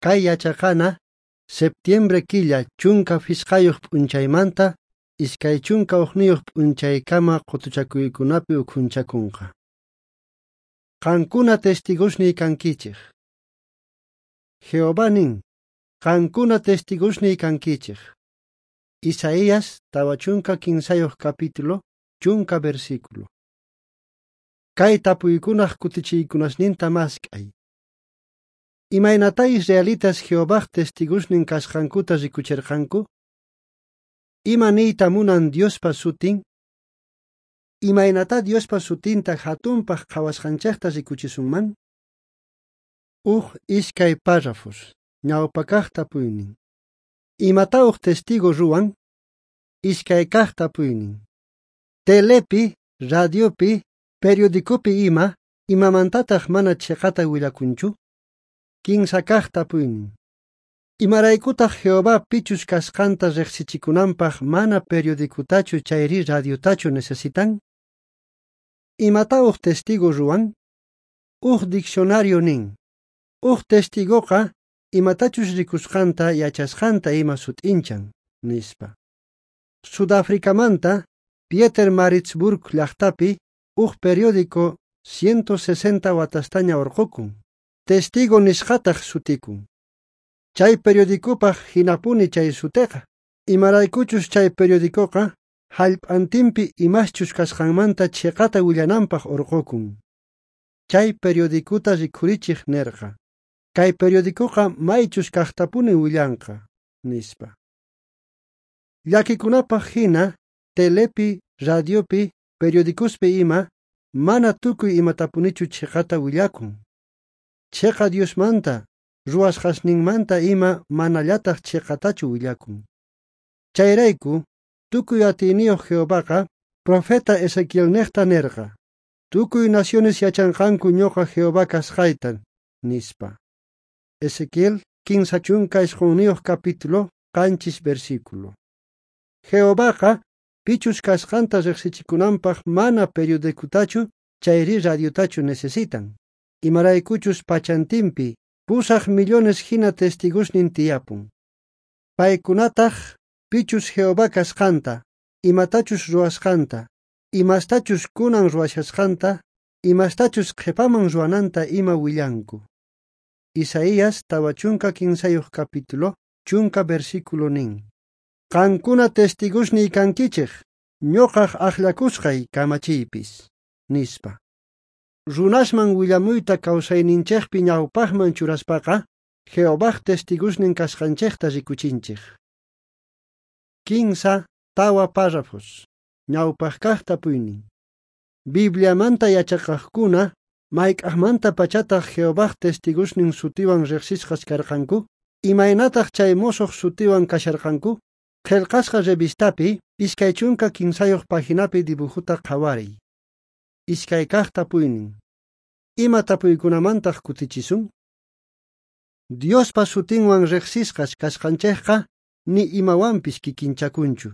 Kay yachaqana septiembre killa 15 p'unchaymanta 21 p'unchaykama qutuchakuykunapi ukhunchakunqa. Qankuna testigosniy kankichej. Jehová nin, qankuna testigosniy kankichej. Isaías 43 capítulo, 10 versículo. Kay tapuykunaj kutichiykunasninta mask'ay. Imaynatá israelitas Jehovaj testigosnin kasqankuta rikucherqanku? Ima niyta munan Diospa sutin? Imaynatá Diospa sutinta hatunpaq qhawasqanchejta rikuchisunman? Uj iskay párrafos, ñawpa kaq tapuynin. Imatá uj testigo ruwan? Iskay kaq tapuynin. Telepi, radiopi, periodicopi ima, imamantataq mana chiqata willakunchu? Kinsa kaq tapuynin. Imaraykutaq Jehová pichus kasqanta riqsichikunanpaq mana periodicutachu chayri radiotachu necesitan? Imatá uj testigo ruwan? Uj diccionario nin. Uj testigoqa imatachus rikusqanta yachasqanta ima sut'inchan, nispa. Sudafricamanta Pietermaritzburg llaqtapi uj periódico 160 watastaña urqukun. Testigo nisqataq sutikun. Chay periodicopaq hinapuni chay suteqa. Imaraykuchus chay periodicoqa hallp'antinpi imaschus kasqanmanta chiqata willananpaq urqukun. Chay periodicota rikhurichiq nerqa. Kay periodicoqa maychus kaqtapuni willanqa, nispa. Llakikunapaq hina telepi, radiopi, periodicospi ima mana tukuy imatapunichu chiqata willakun. Chiqa Diosmanta, ruwasqasninmanta ima manallataq chiqatachu willakun. Chayrayku, tukuy atiyniyuq Jehovaqa profeta Ezequielnejta nerqa: Tukuy naciones yachanqanku ñuqa Jehová kasqayta, nispa. Ezequiel 39 capítulo, 7 versículo. Jehovaqa pichus kasqanta riqsichikunanpaq mana periodicutachu chayri radiotachu necesitan. Imaraykuchus pachantinpi 8 millones hina testigosnin tiyapun. Paykunataq pichus Jehová kasqanta, imatachus ruwasqanta, imastachus kunan ruwashasqanta, imastachus qhipaman ruwananta ima willanku. Isaías 43 capítulo, 10 versículo nin. Qankuna testigosniy kankichej, ñuqaj akllakusqay kamachiypis, nispa. Runasman willamuyta kawsayninchejpi ñawpaqman churaspaqa, Jehovaj testigosnin kasqanchejta rikuchinchej. 15 tawa párrafos, ñawpaq kaq tapuynin. Bibliamanta yachaqaqkuna mayk'aqmanta pachataq Jehovaj testigosnin sutiwan riqsisqas karqanku? Imaynataq chay musuq sutiwan kasharqanku? Qillqasqa revistapi 23 paginapi dibujuta qhawariy. Iskay kaq tapuynin. Ima tapuykunamantaq kutichisun? Diospa sutinwan riqsisqas kasqanchejqa ni imawanpis kikinchakunchu.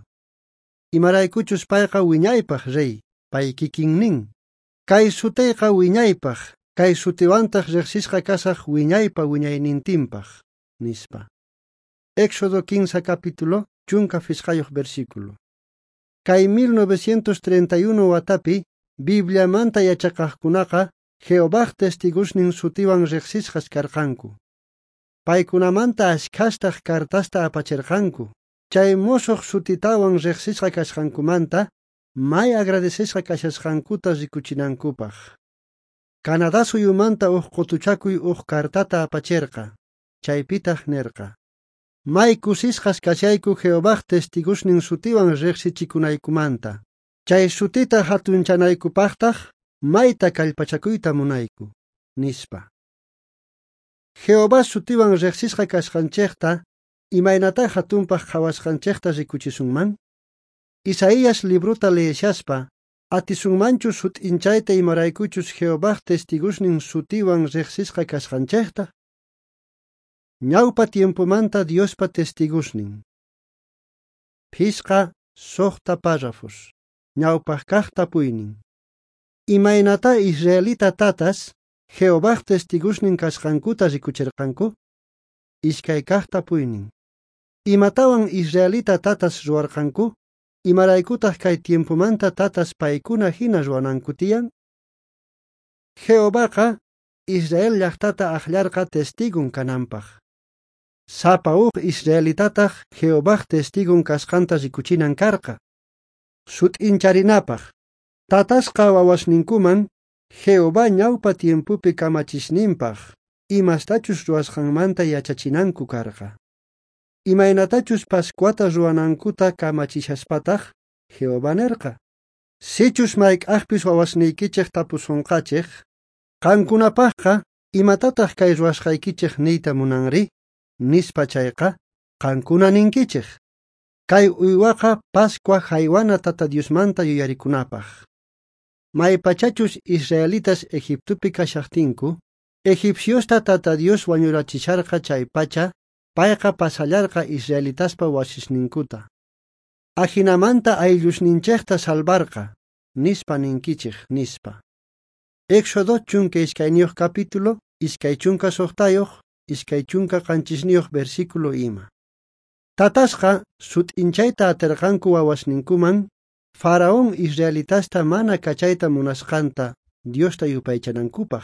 Imaraykuchus payqa wiñaypaq rey, pay kikinnin. Kay sutiyqa wiñaypaq, kay sutiwantaq riqsisqa kasaq wiñaypa wiñaynintinpaq, nispa. Éxodo 15 capítulo, 15 versículo. Kay 1931 watapi Bibliamanta yachaqaqkunaqa Jehovaj testigosnin sutiwan riqsisqas karqanku. Paykunamanta ashkhastaq cartasta apacherqanku. Chay musuq sutitawan riqsisqa kasqankumanta may agradecesqa kashasqankuta rikuchinankupaq. Canadá suyumanta uj qutuchakuy uj cartata apacherqa. Chaypitaq nerqa: May kusisqas kashayku Jehovaj testigosnin sutiwan riqsichikunaykumanta. Chay sutita hatunchanaykupaqtaq mayta kallpachakuyta munayku, nispa. Jehová sutiwan riqsisqa kasqanchejta imaynatá hatunpaq qhawasqanchejta rikuchisunman? Isaías librota leeshaspa, atisunmanchu sut'inchayta imaraykuchus Jehovaj testigosnin sutiwan riqsisqa kasqanchejta? Ñawpa tiempomanta Diospa testigosnin. 5 6 párrafos. Ñawpaq kaq tapuynin. Imaynatá israelita tatas Jehovaj testigosnin kasqankuta rikucherqanku? Iskay kaj tapuynin. Imatawan israelita tatas ruwarqanku? Imaraykutaq kay tiempomanta tatas paykuna hina ruwananku tiyan? Jehovaqa Israel llaqtata aqllarqa testigun kananpaq. Sapa uj israelitataq Jehovaj testigun kasqanta rikuchinan karqa. Sut'incharinapaq. Tatasqa wawasninkuman Jehová ñawpa tiempopi kamachisninpaq imastachus ruwasqanmanta yachachinanku karqa. Imaynatachus Pascuata ruwanankuta kamachishaspataj Jehová nerqa: Sichus mayk'ajpis wawasniykichej tapusonqachej, qankunapajqa imatataq kay ruwasqaykichej niyta munanri? Nispa chayqa, qankuna ninkichej: Kay uywaqa Pascua jaywana Tata Diosmanta yuyarikunapaj. Maypachachus israelitas Egiptopi kashajtinku, egipciosta Tata Dios wañurachisharqa chaypacha, payqa pasallarqa israelitaspa wasisninkuta. Ajinamanta ayllusninchejta salvarqa, nispa ninkichej, nispa. Éxodo 12 capítulo, 26, 27 versículo ima. Tatasqa sut'inchayta aterqanku wawasninkuman, Faraón israelitasta mana kachayta munasqanta Diosta yupaychanankupaj.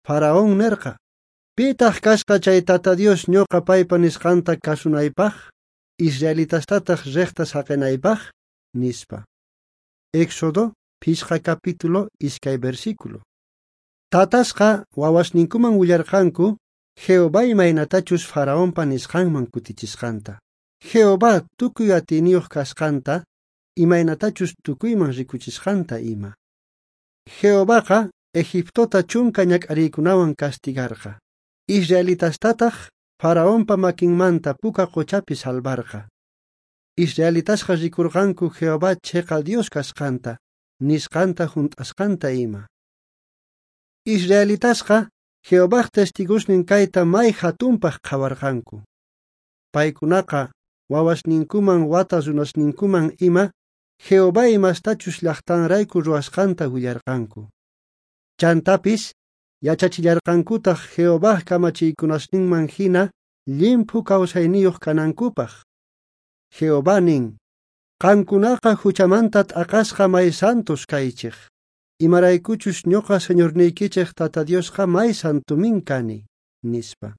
Faraón nerqa: Pitaq kasqa chay Tata Dios ñuqa paypa nisqanta kasunaypaj, israelitastataq riqta saqinaypaj, nispa. Éxodo 5 capítulo 2 versículo. Tatasqa wawasninkuman willarqanku Jehová imaynatachus Faraonpa nisqanman kutichisqanta. Jehová tukuy atiyniyuq kasqanta, imaynatachus tukuyman rikuchisqanta ima. Jehovaqa Egiptota 10 ñak'ariykunawan castigarqa. Israelitastataq Faraonpa makinmanta puka qochapi salvarqa. Israelitasqa rikurqanku Jehová cheqa Dios kasqanta, nisqanta junt'asqanta ima. Israelitasqa Jehovaj testigosnin kayta may hatunpaq qhawarqanku. Paykunaqa wawasninkuman wata runasninkuman ima Jehová imastachus llaqtanrayku ruwasqanta willarqanku. Chantapis yachachillarqankutaq Jehovaj kamachiykunasninman hina llimphu kawsayniyuq kanankupaq. Jehová nin: Qankunaqa huchamanta t'aqasqa may santos kaychej. Imaraykuchus ñuqa Señorniykichej Tata Diosqa may santomin kani, nispa.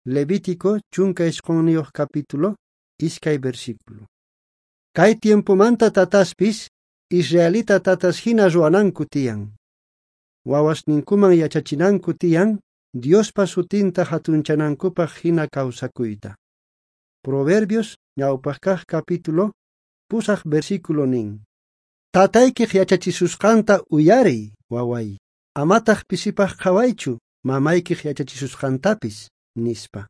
Levítico 19 capítulo, 2 versículo. Kay tiempomanta tataspis israelita tatas hina ruwananku tiyan. Wawasninkuman yachachinanku tiyan Diospa sutinta hatunchanankupaq hina kawsakuyta. Proverbios ñawpaq kaq capítulo 8 versículo nin: Tataykiq yachachisusqanta uyariy, waway, amataq pisipaq qhawaychu mamaykiq yachachisusqantapis, nispa.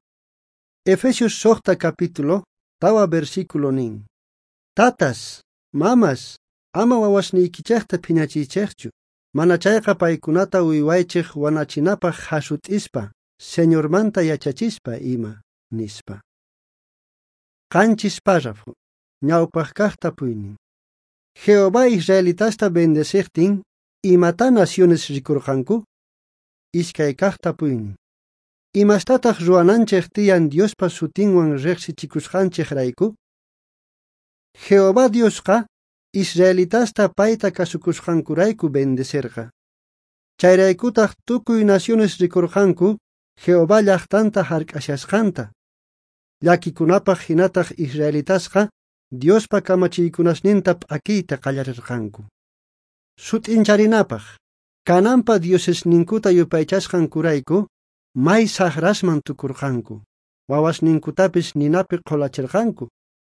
Efesios 6 capítulo 4 versículo nin: Tatas, mamas, ama wawasniykichejta phiñachiychejchu, mana chayqa paykunata uywaychej wanachinapaq hasut'ispa, Señormanta yachachispa ima, nispa. 7 párrafo, ñawpaq kaq tapuynin. Jehová israelitasta bendecejtin, imata naciones rikurqanku? 2 kaq tapuynin. Imastataq ruwananchej tiyan Diospa sutinwan riqsichikusqanchejrayku? Jehová Diosqa israelitasta payta kasukusqankurayku bendecerqa. Chayraykutaq tukuy naciones rikurqanku Jehová llaqtanta hark'ashasqanta. Llakikunapaq hinataq israelitasqa Diospa kamachiykunasninta p'akiyta qallarirqanku. Sut'incharinapaq, Canaanpa diosesninkuta yupaychasqankurayku may saqrasman tukurqanku. Wawasninkutapis ninapi qhulachirqanku,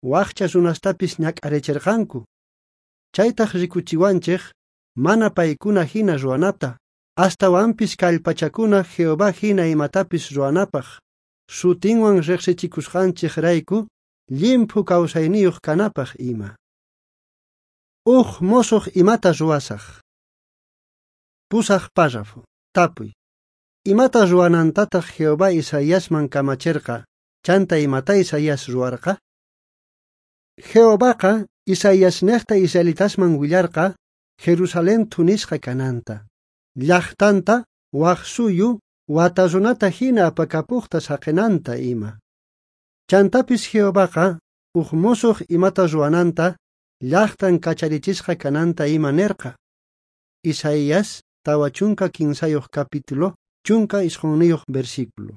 waqcha runastapis ñak'arichirqanku. Chaytaq rikuchiwanchej mana paykuna hina ruwanata, astawanpis kallpachakuna Jehová hina imatapis ruwanapaq, sutinwan riqsichikusqanchejrayku llimphu kawsayniyuq kanapaq ima. Uj mosoq imata ruwasaj. 8 párrafo. Tapuy. Imata ruwanantataq Jehová Isaiasman kamacherqa, chanta imata Isaías ruwarqa? Jehovaqa Isaiasnejta israelitasman willarqa Jerusalén thunisqa kananta, llaqtanta waj suyu wata runata jina apakapojta saqenanta ima. Chantapis Jehovaqa uj mosoj imata ruwananta, llajtan kacharichisqa kananta ima nerqa. Isaías 43 capítulo, 19 versículo.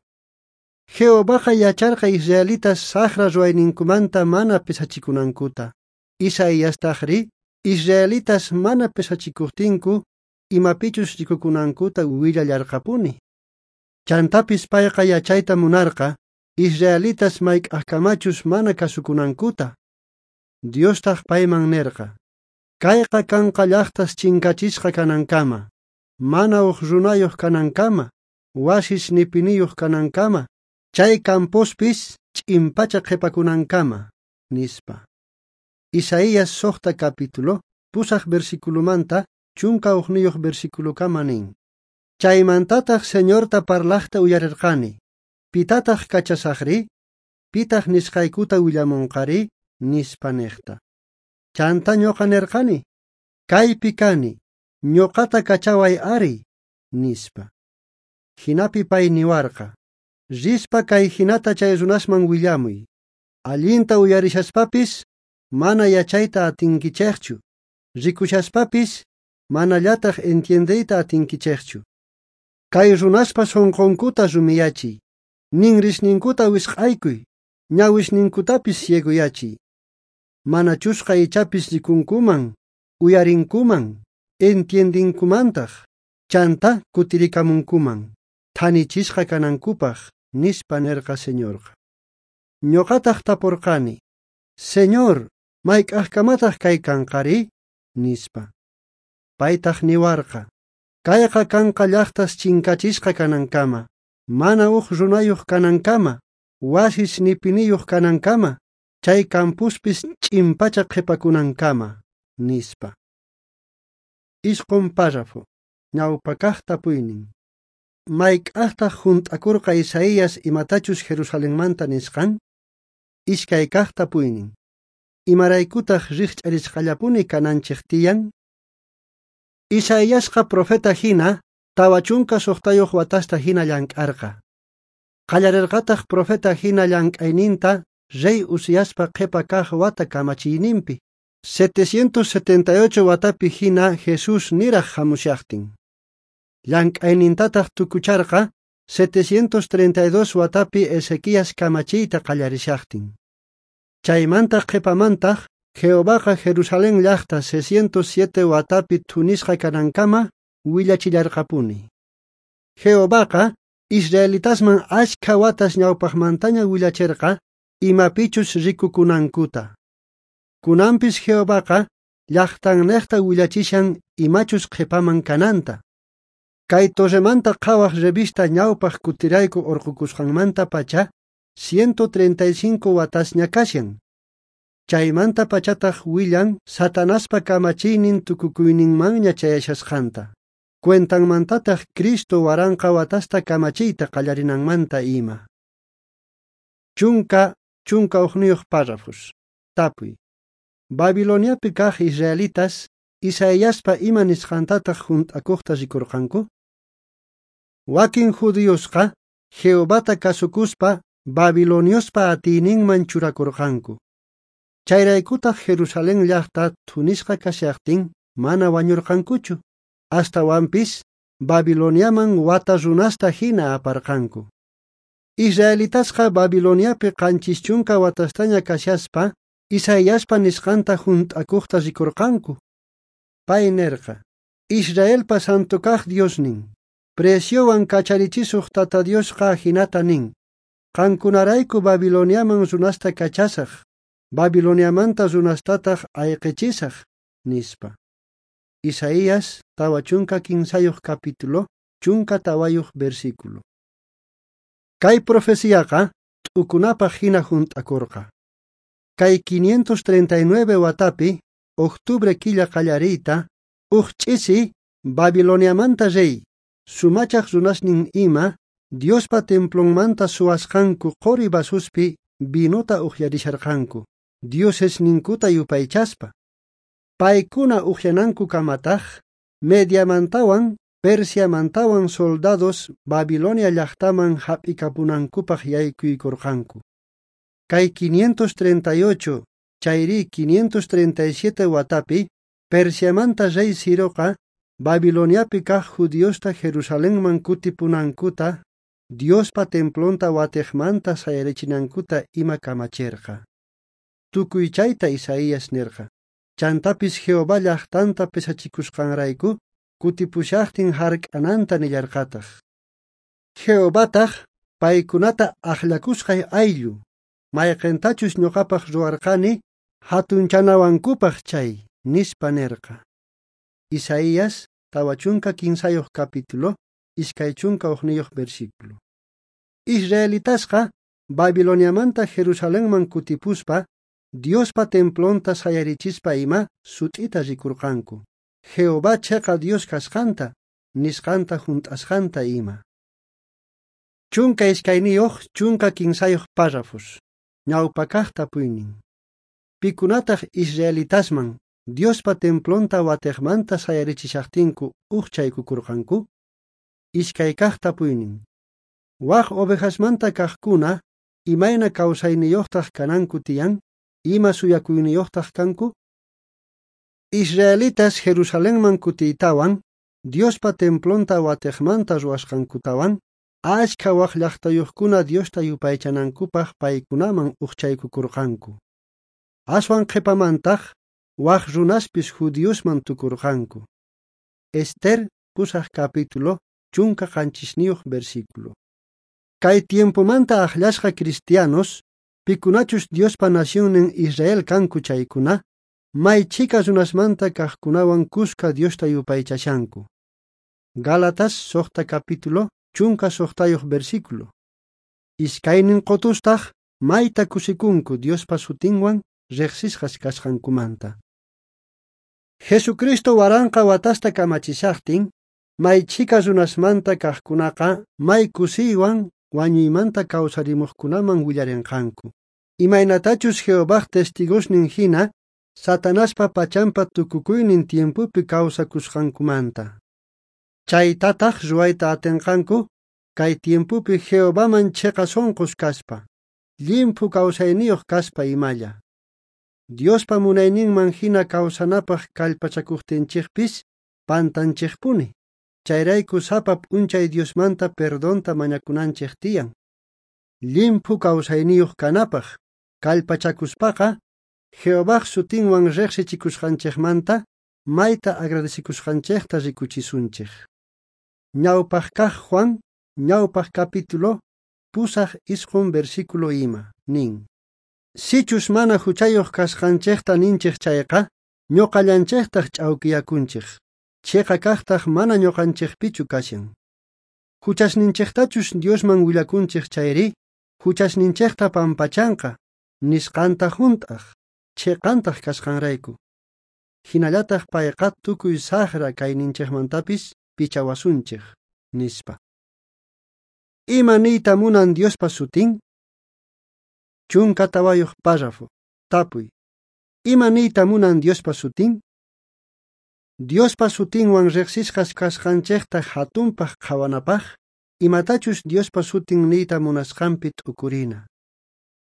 Jehovaqa yacharqa israelitas sajra ruwayninkumanta mana pesachikunankuta. Isaíastajri israelitas mana pesachikujtinku imapichus rikukunankuta willallarqapuni. Chantapis payqa yachayta munarqa israelitas mayk'ajkamachus mana kasukunankuta. Diostaj payman nerqa: Kayqa kanqa llajtas chinkachisqa kanankama, mana uj runayuq kanankama, wasis nipiniyuq kanankama, chay campospis ch'inpacha qhipakunankama, nispa. Isaías 6 capítulo, 8 versiculomanta, 11 versiculokama nin. Chaymantataq Señorta parlajta uyarerqani. Pitataq kachasaqri? Pitaq nisqaykuta willamunqari? Nispa nejta. Chanta ñoqa nerqani. Kaypi kani, ñoqata kachaway ari, nispa. Jinapi pay niwarqa. Rispa kay jinata chay runasman willamuy. Allinta uyarishaspapis, mana yachayta atinkichejchu. Rikushaspapis, manallataq entiendeyta atinkichejchu. Kay runaspa sonqonkuta rumiyachiy, ninrisninkuta wisq'aykuy, ñawisninkutapis ciegoyachiy. Manachusqa ichapis rikunkuman, uyarinkuman, entiendinkumantaq, chanta kutirikamunkuman, thanichisqa kanankupaq, nispa nerqa Señorqa. Ñoqataq tapurqani: Señor, mayk'ajkamataq kay kanqari? Nispa. Paytaq niwarqa: Kayqa kanqa llajtas chinkachisqa kanankama, mana uj runayuq kanankama, wasis nipiniyuq kanankama, chay campuspis ch'inpacha qhipakunankama, nispa. 9 párrafo. Ñawpakaq tapuynin. Mayk'ajtaq junt'akurqa Isaías imatachus Jerusalenmanta nisqan? 2 kaq tapuynin. Imaraykutaq rijch'arisqallapuni kananchej tiyan? Isaíasqa profeta hina 46 watasta hina llank'arqa. Qallarerqataq profeta hina llank'ayninta rey Uziaspa qhipa kaq wata kamachiyninpi, 778 watapi hina Jesús niraj hamushaqtin. Llank'aynintataq tukucharqa 732 watapi Ezequías kamachiyta qallarishaqtin. Chaymanta qhipamantaq Jehovaqa Jerusalén llajta 607 watapi thunisqa kanankama willachillarqapuni. Jehovaqa israelitasman ashkha watas ñawpaqmantaña willacherqa imapichus rikukunankuta. Kunanpis Jehovaqa llajtannejta willachishan imachus qhipaman kananta. Kay Torremanta Qhawaj revista ñawpaq kutirayku urqukusqanmanta pacha 135 watasña kashan. Chaymanta pachataq willan Satanaspa kamachiynin tukukuyninmanña chayashasqanta. Cuentanmantataq Cristo 1000 watasta kamachiyta qallarinanmanta ima. 11 párrafos. Tapuy. Babiloniapi kaq israelitas Isaiaspa ima nisqantataq junt'akuqta rikurqanku? Wakin judíosqa Jehovata kasukuspa Babiloniospa atiyninman churakurqanku. Chayraykutaq Jerusalén llajta thunisqa kashaqtin mana wañurqankuchu, astawanpis Babiloniaman wata runasta hina aparqanku. Israelitasqa Babiloniapi 70 watastaña kashaspa Isaiaspa nisqanta junt'akuqta rikurqanku. Pay nerqa: Israelpa santo kaq Diosnin, preciowan kacharichisuq Tata Diosqa jinata nin: Qankunarayku Babiloniaman runasta kachasaq, Babiloniamanta runastataq ayqichisaq, nispa. Isaías 43 capítulo, 14 versículo. Kay profeciaqa t'ukunapaq hina junt'akurqa. Kay 539 watapi, octubre killa qallariyta, uj ch'isi Babiloniamanta rey, sumachaq runasnin ima, Diospa templonmanta suwasqanku qori vasuspi vinota ujyarisharqanku, diosesninkuta yupaychaspa. Paykuna ujyanankukamataq, Mediamantawan Persiamantawan soldados Babilonia llajtaman jap'ikapunankupaj yaykuykorqanku. Kay 538 chayri 537 watapi Persiamanta rey Ciroqa Babiloniapi kaj judiosta Jerusalenman kutipunankuta, Diospa templonta watejmanta sayarichinankuta ima kamacherqa. Tukuy chayta Isaías nerqa. Chantapis Jehová llajtanta pesachikusqanrayku kutipushajtin hark'ananta nillarqataj. Jehovataj paykunata ajllakusqay ayllu, mayqentachus ñuqapaj ruwarqani hatunchanawankupaj chay, nispa nerqa. Isaías 43 capítulo, 21 versículo. Israelitasqa Babiloniamanta Jerusalenman kutipuspa, Diospa templonta sayarichispa ima sut'ita rikurqanku. Jehová cheqa Dios kasqanta, nisqanta junt'asqanta ima. 12 13 párrafos. Ñawpakaj tapuynin. Pikunataq israelitasman Diospa templonta watejmanta sayarichishajtinku ujchaykukurqanku? Iskaykaj tapuynin. Waj ovejasmanta kajkuna imayna kawsayniyuqtaq kananku tiyan, ima suyakuyniyuqtaq kanku? Israelitas Jerusalenman kutiytawan, Diospa templonta watejmanta ruwasqankutawan, ashkha waj llajtayuqkuna Diosta yupaychanankupaj paykunaman ujchaykukurqanku. Aswan qhipamantaj waj runaspis judiosman tukurqanku. Ester 8 capítulo 17 versículo. Kay tiempomanta ajllasqa cristianos, pikunachus Diospa nacionnin Israel kanku chaykuna, may chhika runasmanta kajkunawan kuska Diosta yupaychashanku. Gálatas 6 capítulo 16 versículo. Iskaynin qotustaj mayta kusikunku Diospa sutinwan riqsisqas kasqankumanta. Jesucristo waranqa watasta kamachishajtin, may chhika runasmanta kajkunaqa may kusiywan wañuymanta kawsarimuqkunaman willarinqanku. Imaynatachus Jehovaj testigosnin hina Satanaspa pachampa tukukuynin tiempopi kawsakusqankumanta. Chaytataq ruwayta atinqanku kay tiempopi Jehovaman chiqa sunqus kaspa, llimphu kawsayniyuq kaspa imalla. Diospa munayninman hina kawsanapaq kallpachakuqtinchikpis pantanchikpuni. Chayrayku sapa p'unchay Diosmanta perdonta mañakunanchik tiyan. Llimphu kawsayniyuq kanapaq kallpachakuspaqa Jehovaj sutinwan riqsichikusqanchikmanta mayta agradecikusqanchikta rikuchisunchik. Ñawpaq kaq Juan, ñawpaq capítulo, 8 versículo ima, nin. Sichus mana huchayuq kasqanchikta ninchik chayqa, ñuqallanchiktaq ch'awkiyakunchik. Chiqa kaqtaq mana ñuqanchikpichu kashan. Huchasninchiktachus Diosman willakunchik chayri, huchasninchikta pampachanqa, nisqanta junt'aq, chiqantaq kasqanrayku. Hinallataq payqa tukuy saqra kayninchikmantapis pichawasunchik, nispa. Ima niyta munan Diospa sutin? 14 párrafo. Tapuy. Ima niyta munan Diospa sutin? Diospa sutinwan riqsisqas kasqanchikta hatunpaq qhawanapaq, imatachus Diospa sutin niyta munasqanpi t'ukurina.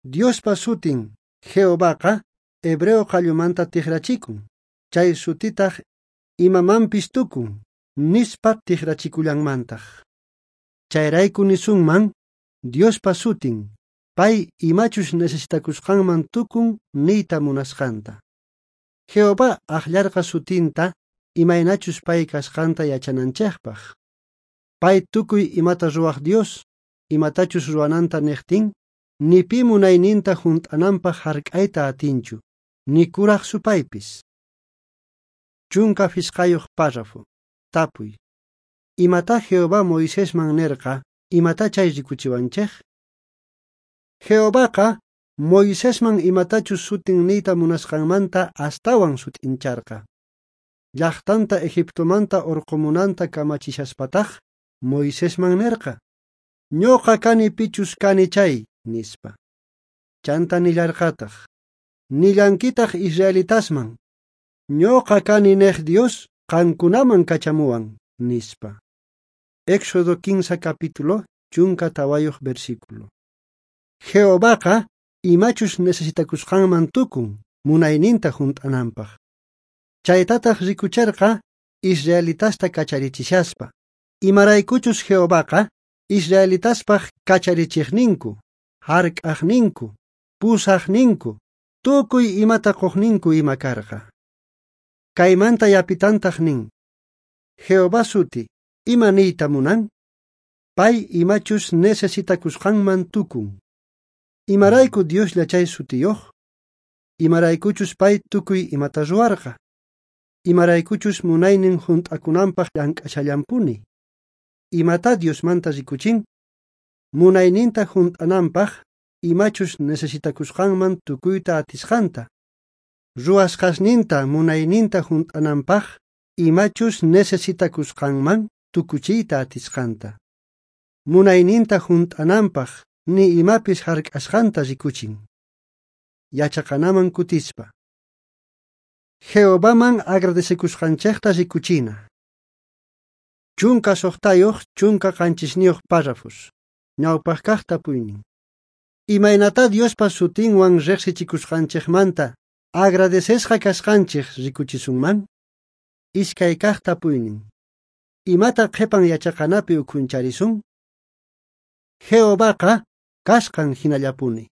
Diospa sutin Jehovaqa hebreo qallumanta tikrachikun, chay sutitaq imamanpis tukun, nispa tikrachikullanmantaq. Chayrayku nisunman, Diospa sutin, pay imachus necesitakusqanman tukun niyta munasqanta. Jehová aqllarqa sutinta imaynachus pay kasqanta yachananchikpaq. Pay tukuy imata ruwaq Dios, imatachus ruwananta niqtin, ni pi munayninta junt'ananpaq hark'ayta atinchu, ni kuraq supaypis. 15 párrafo. Tapuy. Imata Jehová Moisesman nerqa, imata chay rikuchiwanchik? Jehovaqa Moisesman imatachus sutin niyta munasqanmanta astawan sut'incharqa. Llaqtanta Egiptomanta urqumunanta kamachishaspataj Moisesman nerqa, ñuqa kani pichus kani chay, nispa. Chanta nillarqataq, nillankitaq israelitasman, ñuqa kani nej Dios qankunaman kachamuwan, nispa. Éxodo 15 capítulo, 14 versículo. Jehovaqa imachus necesitakusqanman tukun munayninta junt'ananpaq. Chaytataq rikucherqa israelitasta kacharichishaspa. Imaraykuchus Jehovaqa israelitaspaq kacharichiqninku, hark'aqninku, pusaqninku, tukuy imata quqninku ima karqa. Kaymanta yapitantaq nin: Jehová suti, ima niyta munan? Pay imachus necesitakusqanman tukun. Imarayku Dioslla chay sutiyuq? Imaraykuchus pay tukuy imata ruwarqa? Imaraykuchus munaynin junt'akunanpaq llank'ashallampuni? Imata Diosmanta rikuchin? Munayninta junt'ananpaq imachus necesitakusqanman tukuyta atisqanta. Ruwasqasninta munayninta junt'ananpaq imachus necesitakusqanman tukuchiyta atisqanta. Munayninta junt'ananpaq ni imapis hark'asqanta rikuchin. Yachaqanaman kutispa. Jehovaman agradecekusqanchejta rikuchina. 16 17 párrafos. Ñawpaq kaq tapuynin. Imaynata Diospa sutinwan riqsichikusqanchikmanta agradecesqa kasqanchik rikuchisunman? Iskay kaq tapuynin. Imata qhipan yachaqanapi ukhuncharisun? Jehovaqa kasqan hinallapuni.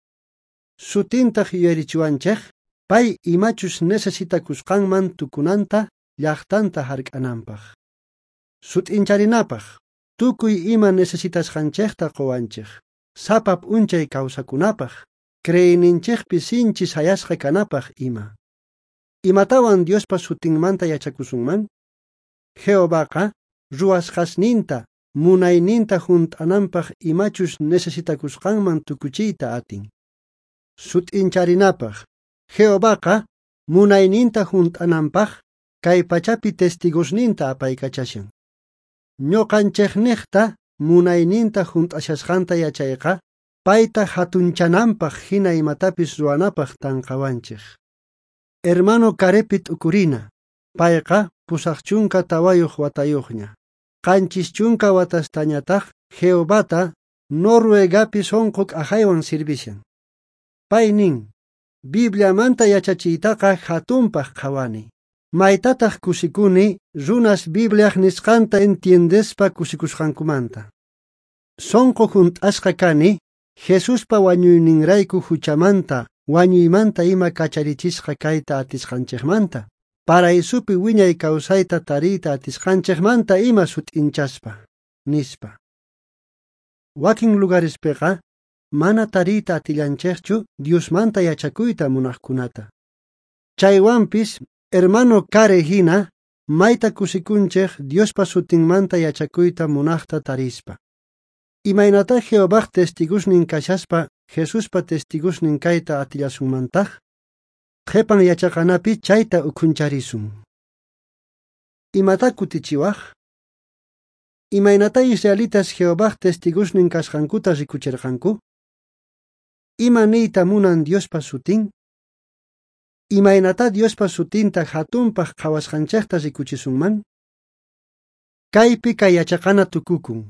Sutintaq yuyarichiwanchik pay imachus necesitakusqanman tukunanta llaqtanta hark'ananpaq. Sut'incharinapaq tukuy ima necesitasqanchikta quwanchik. Sapa p'unchay kawsakunapaq, creeyninchikpi sinchi sayasqa kanapaq ima. Imatawan Diospa sutinmanta yachakusunman? Jehovaqa ruwasqasninta munayninta junt'ananpaq imachus necesitakusqanman tukuchiyta atin. Sut'incharinapaq, Jehovaqa munayninta junt'ananpaq kay pachapi testigosninta apaykachashan. Ñuqanchikniqta munayninta junt'ashasqanta yachayqa payta hatunchananpaq hina imatapis ruwanapaq tanqawanchik. Hermano Karepi t'ukurina, payqa 84 watayuqña. 70 watastañataq Jehovata Noruegapi sunqu k'ajaywan sirvishan. Pay nin: Bibliamanta yachachiytaqa hatunpaq qhawani. Maytataq kusikuni runas Bibliaj nisqanta entiendespa kusikusqankumanta. Sunqu junt'asqa kani Jesuspa wañuyninrayku huchamanta, wañuymanta ima kacharichisqa kayta atisqanchikmanta, paraisupi wiñay kawsayta tariyta atisqanchikmanta ima sut'inchaspa, nispa. Wakin lugarespiqa mana tariyta atillanchikchu Diosmanta yachakuyta munaqkunata. Chaywanpis hermano Kare hina mayta kusikunchik Diospa sutinmanta yachakuyta munaqta tarispa. Imaynata Jehovaj testigosnin kashaspa Jesuspa testigosnin kayta atillasunmantaq? Qhipan yachaqanapi chayta ukhuncharisun. Imata kutichiwaq? Imaynata israelitas Jehovaj testigosnin kasqankuta rikuchirqanku? Ima niyta munan Diospa sutin? Imaynata Diospa sutinta hatunpaq qhawasqanchikta rikuchisunman? Kaypi kay yachaqana tukukun.